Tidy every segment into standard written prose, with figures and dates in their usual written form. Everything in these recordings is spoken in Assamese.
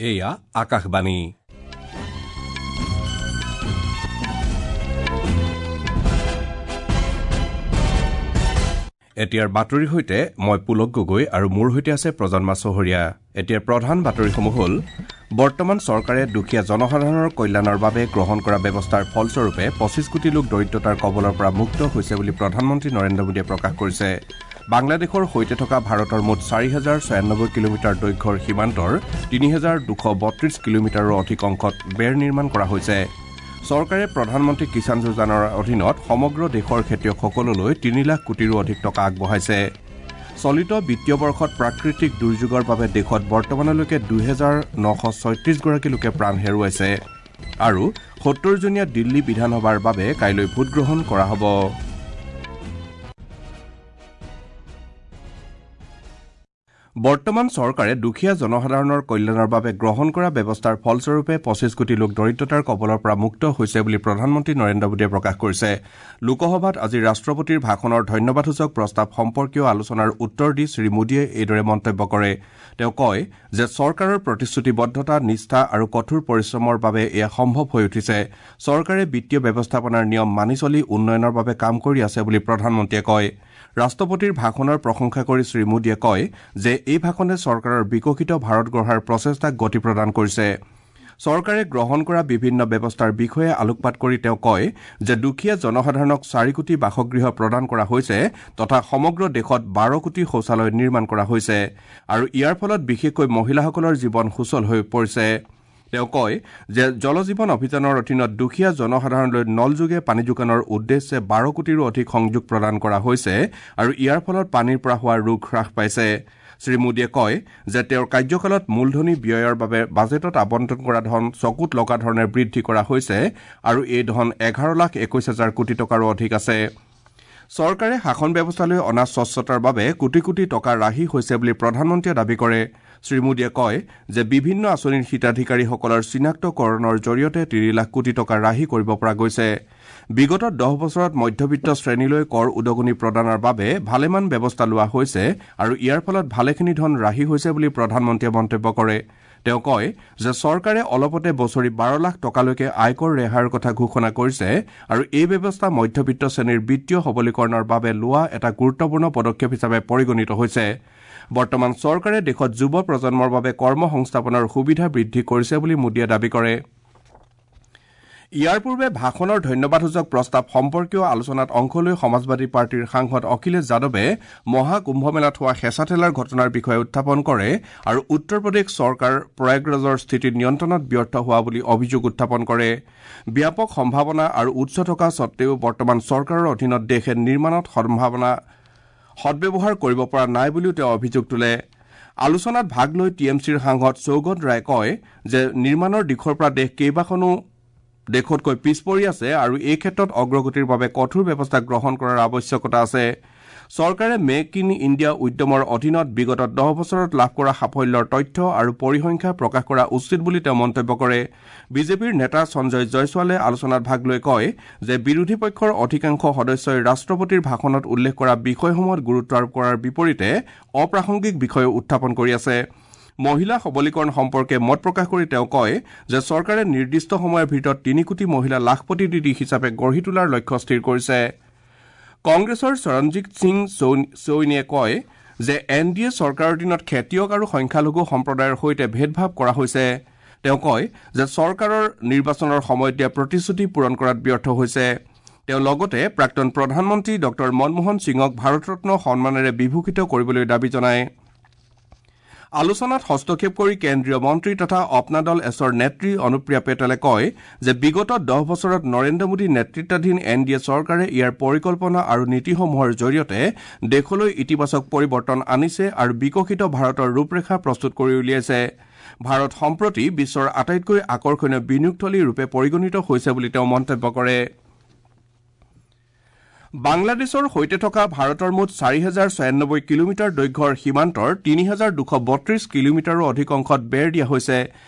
এয়া আকাশবাণী। এতিয়াৰ বাতৰিৰ সৈতে মই পুলক গগৈ আৰু মোৰ সৈতে আছে প্ৰজন্মা চহৰীয়া। এতিয়াৰ প্ৰধান বাতৰিসমূহ হ'ল: বৰ্তমান চৰকাৰে দুখীয়া জনসাধাৰণৰ কল্যাণৰ বাবে গ্ৰহণ কৰা ব্যৱস্থাৰ ফলস্বৰূপে 25 কোটি লোক দৰিদ্ৰতাৰ কবলৰ পৰা মুক্ত হৈছে বুলি প্ৰধানমন্ত্ৰী নৰেন্দ্ৰ মোদীয়ে প্ৰকাশ কৰিছে। বাংলাদেশৰ সৈতে থকা ভাৰতৰ মুঠ 4096 কিলোমিটাৰ দৈৰ্ঘ্যৰ সীমান্তৰ 3232 কিলোমিটাৰৰ অধিক অংশত বেৰ নিৰ্মাণ কৰা হৈছে। চৰকাৰে প্ৰধানমন্ত্ৰী কিষাণ যোজনাৰ অধীনত সমগ্ৰ দেশৰ খেতিয়কসকললৈ 3 লাখ কোটিৰো অধিক টকা আগবঢ়াইছে। চলিত বিত্তীয় বৰ্ষত প্ৰাকৃতিক দুৰ্যোগৰ বাবে দেশত বৰ্তমানলৈকে 2936 গৰাকী লোকে প্ৰাণ হেৰুৱাইছে আৰু 70জনীয়া দিল্লী বিধানসভাৰ বাবে কাইলৈ ভোটগ্ৰহণ কৰা হ'ব। বৰ্তমান চৰকাৰে দুখীয়া জনসাধাৰণৰ কল্যাণৰ বাবে গ্ৰহণ কৰা ব্যৱস্থাৰ ফলস্বৰূপে 25 কোটি লোক দৰিদ্ৰতাৰ কবলৰ পৰা মুক্ত হৈছে বুলি প্ৰধানমন্ত্ৰী নৰেন্দ্ৰ মোদীয়ে প্ৰকাশ কৰিছে। লোকসভাত আজি ৰাষ্ট্ৰপতিৰ ভাষণৰ ধন্যবাদসূচক প্ৰস্তাৱ সম্পৰ্কীয় আলোচনাৰ উত্তৰ দি শ্ৰীমোদীয়ে এইদৰে মন্তব্য কৰে। তেওঁ কয় যে চৰকাৰৰ প্ৰতিশ্ৰুতিবদ্ধতা, নিষ্ঠা আৰু কঠোৰ পৰিশ্ৰমৰ বাবে এয়া সম্ভৱ হৈ উঠিছে। চৰকাৰে বিত্তীয় ব্যৱস্থাপনাৰ নিয়ম মানি চলি উন্নয়নৰ বাবে কাম কৰি আছে বুলি প্ৰধানমন্ত্ৰীয়ে কয়। ৰাষ্ট্ৰপতিৰ ভাষণৰ প্ৰশংসা কৰি শ্ৰীমোদীয়ে কয় যে এই ভাষণে চৰকাৰৰ বিকশিত ভাৰত গঢ়াৰ প্ৰচেষ্টাক গতি প্ৰদান কৰিছে। চৰকাৰে গ্ৰহণ কৰা বিভিন্ন ব্যৱস্থাৰ বিষয়ে আলোকপাত কৰি তেওঁ কয় যে দুখীয়া জনসাধাৰণক 4 কোটি বাসগৃহ প্ৰদান কৰা হৈছে তথা সমগ্ৰ দেশত 12 কোটি শৌচালয় নিৰ্মাণ কৰা হৈছে আৰু ইয়াৰ ফলত বিশেষকৈ মহিলাসকলৰ জীৱন সুচল হৈ পৰিছে। তেওঁ কয় যে জল জীৱন অভিযানৰ অধীনত দুখীয়া জনসাধাৰণলৈ নলযোগে পানী যোগানৰ উদ্দেশ্যে 12 কোটিৰো অধিক সংযোগ প্ৰদান কৰা হৈছে আৰু ইয়াৰ ফলত পানীৰ পৰা হোৱা ৰোগ হ্ৰাস পাইছে। শ্ৰীমোদীয়ে কয় যে তেওঁৰ কাৰ্যকালত মূলধনী ব্যয়ৰ বাবে বাজেটত আবণ্টন কৰা ধন চকুত লগা ধৰণে বৃদ্ধি কৰা হৈছে আৰু এই ধন 11,21,000 কোটি টকাৰো অধিক আছে। চৰকাৰে শাসন ব্যৱস্থালৈ অনা স্বচ্ছতাৰ বাবে কোটি কোটি টকা ৰাহি হৈছে বুলি প্ৰধানমন্ত্ৰীয়ে দাবী কৰে। শ্ৰীমোদীয়ে কয় যে বিভিন্ন আঁচনিৰ হিতাধিকাৰীসকলৰ চিনাক্তকৰণৰ জৰিয়তে 3 লাখ কোটি টকা ৰাহি কৰিব পৰা গৈছে। বিগত 10 বছৰত মধ্যবিত্ত শ্ৰেণীলৈ কৰ উদগনি প্ৰদানৰ বাবে ভালেমান ব্যৱস্থা লোৱা হৈছে আৰু ইয়াৰ ফলত ভালেখিনি ধন ৰাহি হৈছে বুলি প্ৰধানমন্ত্ৰীয়ে মন্তব্য কৰে। তেওঁ কয় যে চৰকাৰে অলপতে বছৰি 12 লাখ টকালৈকে আয়কৰ ৰেহাইৰ কথা ঘোষণা কৰিছে আৰু এই ব্যৱস্থা মধ্যবিত্ত শ্ৰেণীৰ বিত্তীয় সবলীকৰণৰ বাবে লোৱা এটা গুৰুত্বপূৰ্ণ পদক্ষেপ হিচাপে পৰিগণিত হৈছে। বৰ্তমান চৰকাৰে দেশত যুৱ প্ৰজন্মৰ বাবে কৰ্ম সংস্থাপনৰ সুবিধা বৃদ্ধি কৰিছে বুলি মোদীয়ে দাবী কৰে। ইয়াৰ পূৰ্বে ভাষণৰ ধন্যবাদসূচক প্ৰস্তাৱ সম্পৰ্কীয় আলোচনাত অংশ লৈ সমাজবাদী পাৰ্টীৰ সাংসদ অখিলেশ যাদৱে মহাকুম্ভমেলাত হোৱা হেঁচা-ঠেলাৰ ঘটনাৰ বিষয়ে উত্থাপন কৰে আৰু উত্তৰ প্ৰদেশ চৰকাৰ প্ৰয়াগৰাজৰ স্থিতি নিয়ন্ত্ৰণত ব্যৰ্থ হোৱা বুলি অভিযোগ উত্থাপন কৰে। ব্যাপক সম্ভাৱনা আৰু উৎস থকা সত্ত্বেও বৰ্তমান চৰকাৰৰ অধীনত দেশে নিৰ্মাণত সম্ভাৱনা সদ্ব্যৱহাৰ কৰিব পৰা নাই বুলিও তেওঁ অভিযোগ তোলে। আলোচনাত ভাগ লৈ টি এম চিৰ সাংসদ সৌগত ৰায়ে কয় যে নিৰ্মাণৰ দিশৰ পৰা দেশ কেইবাখনো দেশতকৈ পিছ পৰি আছে আৰু এই ক্ষেত্ৰত অগ্ৰগতিৰ বাবে কঠোৰ ব্যৱস্থা গ্ৰহণ কৰাৰ আৱশ্যকতা আছে। চৰকাৰে মেক ইন ইণ্ডিয়া উদ্যমৰ অধীনত বিগত 10 বছৰত লাভ কৰা সাফল্যৰ তথ্য আৰু পৰিসংখ্যা প্ৰকাশ কৰা উচিত বুলি তেওঁ মন্তব্য কৰে। বিজেপিৰ নেতা সঞ্জয় জয়ছোৱালে আলোচনাত ভাগ লৈ কয় যে বিৰোধী পক্ষৰ অধিকাংশ সদস্যই ৰাষ্ট্ৰপতিৰ ভাষণত উল্লেখ কৰা বিষয়সমূহত গুৰুত্ব আৰোপ কৰাৰ বিপৰীতে অপ্ৰাসংগিক বিষয় উত্থাপন কৰি আছে। মহিলা সবলীকৰণ সম্পৰ্কে মত প্ৰকাশ কৰি তেওঁ কয় যে চৰকাৰে নিৰ্দিষ্ট সময়ৰ ভিতৰত 3 কোটি মহিলা লাখপতি দিদি হিচাপে গঢ়ি তোলাৰ লক্ষ্য স্থিৰ কৰিছে। কংগ্ৰেছৰ চৰণজিৎ সিং চৌইনীয়ে কয় যে এন ডি এ চৰকাৰৰ দিনত খেতিয়ক আৰু সংখ্যালঘু সম্প্ৰদায়ৰ সৈতে ভেদভাৱ কৰা হৈছে। তেওঁ কয় যে চৰকাৰৰ নিৰ্বাচনৰ সময়ত দিয়া প্ৰতিশ্ৰুতি পূৰণ কৰাত ব্যৰ্থ হৈছে। তেওঁ লগতে প্ৰাক্তন প্ৰধানমন্ত্ৰী ডঃ মনমোহন সিঙক ভাৰতৰত্ন সন্মানেৰে বিভূষিত কৰিবলৈ দাবী জনায়। আলোচনাত হস্তক্ষেপ কৰি কেন্দ্ৰীয় মন্ত্ৰী তথা অপনা দল এছৰ নেত্ৰী অনুপ্ৰিয়া পেটেলে কয় যে বিগত 10 বছৰত নৰেন্দ্ৰ মোদী নেতৃত্বাধীন এন ডি এ চৰকাৰে ইয়াৰ পৰিকল্পনা আৰু নীতিসমূহৰ জৰিয়তে দেশলৈ ইতিবাচক পৰিৱৰ্তন আনিছে আৰু বিকশিত ভাৰতৰ ৰূপৰেখা প্ৰস্তুত কৰি উলিয়াইছে। ভাৰত সম্প্ৰতি বিশ্বৰ আটাইতকৈ আকৰ্ষণীয় বিনিয়োগথলী ৰূপে পৰিগণিত হৈছে বুলি তেওঁ মন্তব্য কৰে। বাংলাদেশৰ সৈতে থকা ভাৰতৰ মুঠ 4096 কিলোমিটাৰ দৈৰ্ঘ্যৰ সীমান্তৰ 3232 কিলোমিটাৰো অধিক অংশত বেৰ দিয়া হৈছে।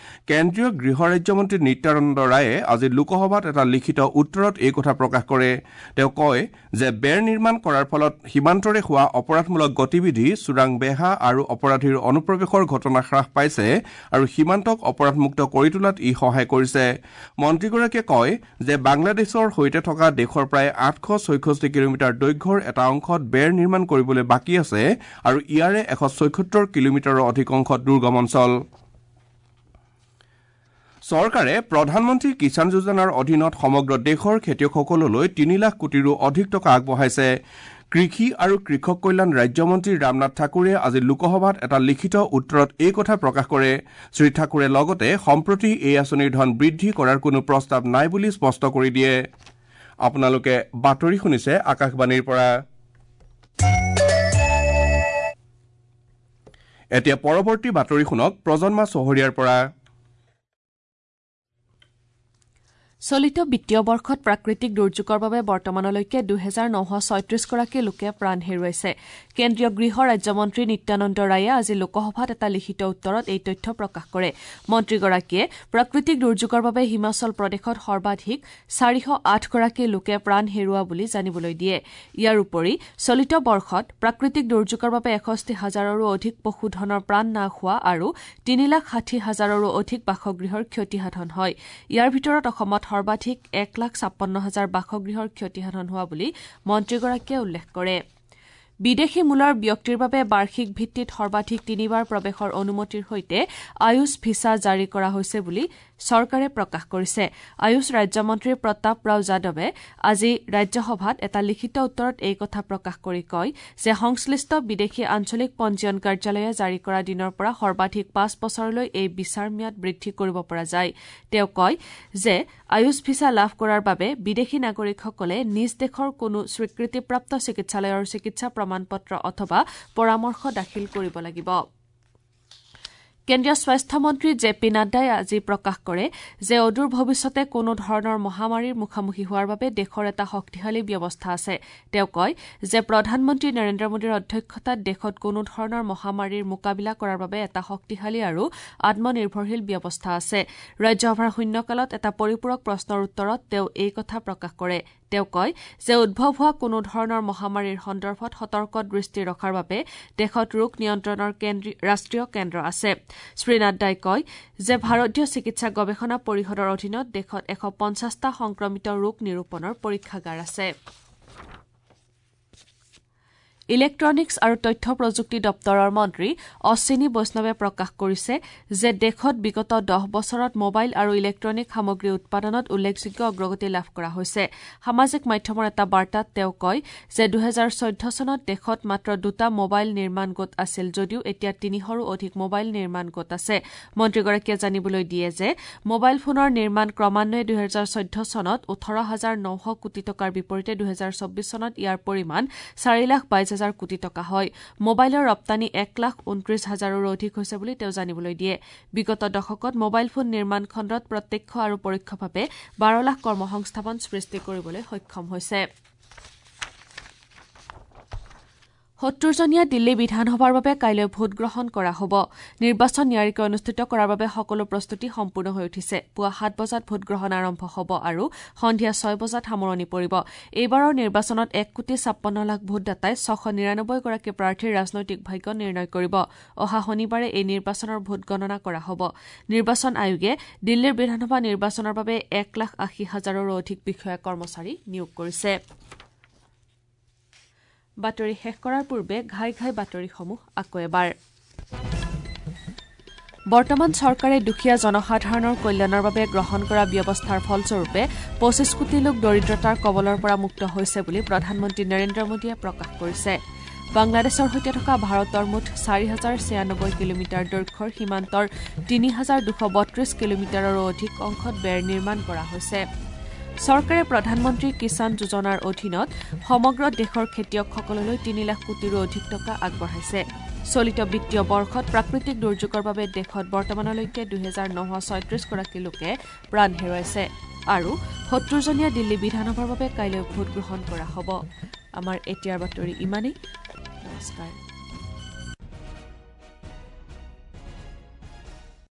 কেন্দ্ৰীয় গৃহ ৰাজ্যমন্ত্ৰী নিত্যানন্দ ৰায়ে আজি লোকসভাত এটা লিখিত উত্তৰত এই কথা প্ৰকাশ কৰে। তেওঁ কয় যে বেৰ নিৰ্মাণ কৰাৰ ফলত সীমান্তৰে হোৱা অপৰাধমূলক গতিবিধি, চোৰাং বেহা আৰু অপৰাধীৰ অনুপ্ৰৱেশৰ ঘটনা হ্ৰাস পাইছে আৰু সীমান্তক অপৰাধমুক্ত কৰি তোলাত ই সহায় কৰিছে। মন্ত্ৰীগৰাকীয়ে কয় যে বাংলাদেশৰ সৈতে থকা দেশৰ প্ৰায় 866 কিলোমিটাৰ দৈৰ্ঘ্যৰ এটা অংশত বেৰ নিৰ্মাণ কৰিবলৈ বাকী আছে আৰু ইয়াৰে 176 কিলোমিটাৰৰ অধিক অংশ দুৰ্গম অঞ্চল। চৰকাৰে প্ৰধানমন্ত্ৰী কিষাণ যোজনাৰ অধীনত সমগ্ৰ দেশৰ খেতিয়কসকললৈ 3 লাখ কোটিৰো অধিক টকা আগবঢ়াইছে। কৃষি আৰু কৃষক কল্যাণ ৰাজ্যমন্ত্ৰী ৰামনাথ ঠাকুৰে আজি লোকসভাত এটা লিখিত উত্তৰত এই কথা প্ৰকাশ কৰে। শ্ৰী ঠাকুৰে লগতে সম্প্ৰতি এই আঁচনিৰ ধন বৃদ্ধি কৰাৰ কোনো প্ৰস্তাৱ নাই বুলি স্পষ্ট কৰি দিয়ে। আপোনালোকে বাতৰি শুনিছে আকাশবাণীৰ পৰা। এতিয়া পৰৱৰ্তী বাতৰি শুনক প্ৰজন্মা চহৰীয়াৰ পৰা। চলিত বিত্তীয় বৰ্ষত প্ৰাকৃতিক দুৰ্যোগৰ বাবে বৰ্তমানলৈকে 2936 গৰাকী লোকে প্ৰাণ হেৰুৱাইছে। কেন্দ্ৰীয় গৃহ ৰাজ্যমন্ত্ৰী নিত্যানন্দ ৰায়ে আজি লোকসভাত এটা লিখিত উত্তৰত এই তথ্য প্ৰকাশ কৰে। মন্ত্ৰীগৰাকীয়ে প্ৰাকৃতিক দুৰ্যোগৰ বাবে হিমাচল প্ৰদেশত সৰ্বাধিক 408 গৰাকী লোকে প্ৰাণ হেৰুওৱা বুলি জানিবলৈ দিয়ে। ইয়াৰ উপৰি চলিত বৰ্ষত প্ৰাকৃতিক দুৰ্যোগৰ বাবে 61 হাজাৰৰো অধিক পশুধনৰ প্ৰাণ নাশ হোৱা আৰু 3,60,000ৰো অধিক বাসগৃহৰ ক্ষতিসাধন হয়। ইয়াৰ ভিতৰত অসমত সৰ্বাধিক 1,56,000 বাসগৃহৰ ক্ষতিসাধন হোৱা বুলি মন্ত্ৰীগৰাকীয়ে উল্লেখ কৰে। বিদেশী মূলৰ ব্যক্তিৰ বাবে বাৰ্ষিক ভিত্তিত সৰ্বাধিক 3বাৰ প্ৰৱেশৰ অনুমতিৰ সৈতে আয়ুষ ভিছা জাৰি কৰা হৈছে বুলি চৰকাৰে প্ৰকাশ কৰিছে। আয়ুষ ৰাজ্যমন্ত্ৰী প্ৰতাপ ৰাও যাদৱে আজি ৰাজ্যসভাত এটা লিখিত উত্তৰত এই কথা প্ৰকাশ কৰি কয় যে সংশ্লিষ্ট বিদেশী আঞ্চলিক পঞ্জীয়ন কাৰ্যালয়ে জাৰি কৰা দিনৰ পৰা সৰ্বাধিক 5 বছৰলৈ এই ভিছাৰ ম্যাদ বৃদ্ধি কৰিব পৰা যায়। তেওঁ কয় যে আয়ুষ ভিছা লাভ কৰাৰ বাবে বিদেশী নাগৰিকসকলে নিজ দেশৰ কোনো স্বীকৃতিপ্ৰাপ্ত চিকিৎসালয়ৰ চিকিৎসা প্ৰমাণপত্ৰ অথবা পৰামৰ্শ দাখিল কৰিব লাগিব। কেন্দ্ৰীয় স্বাস্থ্যমন্ত্ৰী জে পি নাড্ডাই আজি প্ৰকাশ কৰে যে অদূৰ ভৱিষ্যতে কোনো ধৰণৰ মহামাৰীৰ মুখামুখি হোৱাৰ বাবে দেশৰ এটা শক্তিশালী ব্যৱস্থা আছে। তেওঁ কয় যে প্ৰধানমন্ত্ৰী নৰেন্দ্ৰ মোদীৰ অধ্যক্ষতাত দেশত কোনো ধৰণৰ মহামাৰীৰ মোকাবিলা কৰাৰ বাবে এটা শক্তিশালী আৰু আত্মনিৰ্ভৰশীল ব্যৱস্থা আছে। ৰাজ্যসভাৰ শূন্যকালত এটা পৰিপূৰক প্ৰশ্নৰ উত্তৰত তেওঁ এই কথা প্ৰকাশ কৰে। তেওঁ কয় যে উদ্ভৱ হোৱা কোনো ধৰণৰ মহামাৰীৰ সন্দৰ্ভত সতৰ্ক দৃষ্টি ৰখাৰ বাবে দেশত ৰোগ নিয়ন্ত্ৰণৰ ৰাষ্ট্ৰীয় কেন্দ্ৰ আছে। শ্ৰী নাড্ডাই কয় যে ভাৰতীয় চিকিৎসা গৱেষণা পৰিষদৰ অধীনত দেশত 150টা সংক্ৰমিত ৰোগ নিৰূপণৰ পৰীক্ষাগাৰ আছে। ইলেক্ট্ৰনিক্স আৰু তথ্য প্ৰযুক্তি দপ্তৰৰ মন্ত্ৰী অশ্বিনী বৈষ্ণৱে প্ৰকাশ কৰিছে যে দেশত বিগত 10 বছৰত মোবাইল আৰু ইলেক্ট্ৰনিক সামগ্ৰী উৎপাদনত উল্লেখযোগ্য অগ্ৰগতি লাভ কৰা হৈছে। সামাজিক মাধ্যমৰ এটা বাৰ্তাত তেওঁ কয় যে 2014 চনত দেশত মাত্ৰ 2টা মোবাইল নিৰ্মাণ গোট আছিল যদিও এতিয়া 300ৰো অধিক মোবাইল নিৰ্মাণ গোট আছে। মন্ত্ৰীগৰাকীয়ে জানিবলৈ দিয়ে যে মোবাইল ফোনৰ নিৰ্মাণ ক্ৰমান্বয়ে 2014 চনত 18,900 কোটি টকাৰ বিপৰীতে 2024 চনত ইয়াৰ পৰিমাণ 4,22,000 কোটি টকা হয়। মোবাইলৰ ৰপ্তানি 1,29,000ৰো অধিক হৈছে বুলি তেওঁ জানিবলৈ দিয়ে। বিগত দশকত মোবাইল ফোন নিৰ্মাণ খণ্ডত প্ৰত্যক্ষ আৰু পৰোক্ষভাৱে 12 লাখ কৰ্মসংস্থাপন সৃষ্টি কৰিবলৈ সক্ষম হৈছে। 70জনীয়া দিল্লী বিধানসভাৰ বাবে কাইলৈ ভোটগ্ৰহণ কৰা হ'ব। নিৰ্বাচন নিয়াৰিকৈ অনুষ্ঠিত কৰাৰ বাবে সকলো প্ৰস্তুতি সম্পূৰ্ণ হৈ উঠিছে। পুৱা 7 বজাত ভোটগ্ৰহণ আৰম্ভ হ'ব আৰু সন্ধিয়া 6 বজাত সামৰণি পৰিব। এইবাৰৰ নিৰ্বাচনত 1,56,00,000 ভোটদাতাই 699 গৰাকী প্ৰাৰ্থীৰ ৰাজনৈতিক ভাগ্য নিৰ্ণয় কৰিব। অহা শনিবাৰে এই নিৰ্বাচনৰ ভোটগণনা কৰা হ'ব। নিৰ্বাচন আয়োগে দিল্লীৰ বিধানসভা নিৰ্বাচনৰ বাবে 1,80,000ৰো অধিক বিষয়া কৰ্মচাৰী নিয়োগ কৰিছে। বাতৰি শেষ কৰাৰ পূৰ্বে ঘাই ঘাই বাতৰিসমূহ আকৌ এবাৰ। বৰ্তমান চৰকাৰে দুখীয়া জনসাধাৰণৰ কল্যাণৰ বাবে গ্ৰহণ কৰা ব্যৱস্থাৰ ফলস্বৰূপে 25 কোটি লোক দৰিদ্ৰতাৰ কবলৰ পৰা মুক্ত হৈছে বুলি প্ৰধানমন্ত্ৰী নৰেন্দ্ৰ মোদীয়ে প্ৰকাশ কৰিছে। বাংলাদেশৰ সৈতে থকা ভাৰতৰ মুঠ 4096 কিলোমিটাৰ দৈৰ্ঘ্যৰ সীমান্তৰ 3232 কিলোমিটাৰৰো অধিক অংশত বেৰ নিৰ্মাণ কৰা হৈছে। চৰকাৰে প্ৰধানমন্ত্ৰী কিষাণ যোজনাৰ অধীনত সমগ্ৰ দেশৰ খেতিয়কসকললৈ 3 লাখ কোটিৰো অধিক টকা আগবঢ়াইছে। চলিত বিত্তীয় বৰ্ষত প্ৰাকৃতিক দুৰ্যোগৰ বাবে দেশত বৰ্তমানলৈকে 2936 গৰাকী লোকে প্ৰাণ হেৰুৱাইছে আৰু 70জনীয়া দিল্লী বিধানসভাৰ বাবে কাইলৈ ভোটগ্ৰহণ কৰা হ'ব। আমাৰ এতিয়াৰ বাতৰি ইমানেই। নমস্কাৰ।